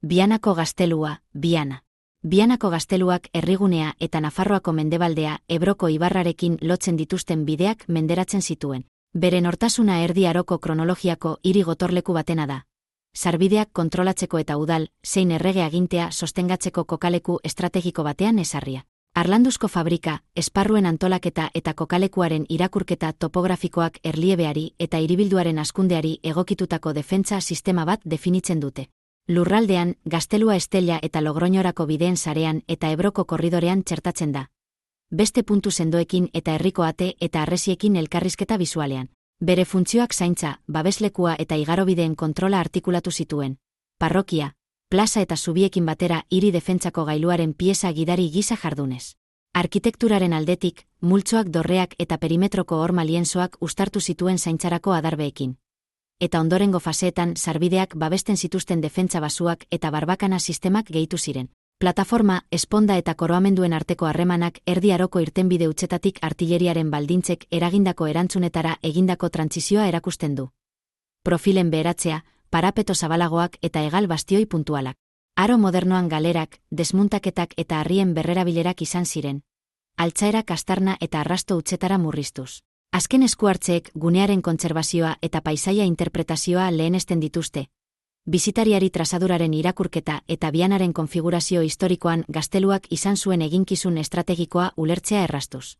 Vianako gaztelua, Viana. Vianako gazteluak herrigunea eta Nafarroako mendebaldea Ebroko ibarrarekin lotzen dituzten bideak menderatzen zituen. Bere nortasuna Erdi Aroko kronologiako hiri gotorleku batena da. Sarbideak kontrolatzeko eta udal, zein errege agintea sostengatzeko kokaleku estrategiko batean ezarria. Harlanduzko fabrika, esparruen antolaketa eta kokalekuaren irakurketa topografikoak erliebeari eta hiribilduaren hazkundeari egokitutako defentsa sistema bat definitzen dute. Lurraldean, Gaztelua Estella eta Logroñorako bideen sarean eta Ebroko korridorean txertatzen da. Beste puntu sendoekin eta herriko ate eta harresiekin elkarrizketa bisualean. Bere funtzioak zaintza, babeslekua eta igarobideen kontrola artikulatu zituen. Parrokia, plaza eta zubiekin batera hiri defentsako gailuaren pieza gidari gisa jardunez. Arkitekturaren aldetik, multzoak dorreak eta perimetroko horma lienzoak uztartu zituen zaintzarako adarbeekin. Eta ondorengo faseetan sarbideak babesten zituzten defentsa basuak eta barbakana sistemak gehitu ziren. Plataforma, esponda eta koroamenduen arteko harremanak Erdi Aroko irtenbide hutsetatik artilleriaren baldintzek eragindako erantzunetara egindako trantsizioa erakusten du. Profilen beheratzea, parapeto zabalagoak eta hegal bastioi puntualak. Aro modernoan galerak, desmuntaketak eta harrien berrerabilerak izan ziren. Altzaerak astarna eta arrasto hutsetara murriztuz. Azken eskuhartzeek gunearen kontserbazioa eta paisaia interpretazioa lehenesten dituzte. Bisitariari trazaduraren irakurketa eta Vianaren konfigurazio historikoan gazteluak izan zuen eginkizun estrategikoa ulertzea erraztuz.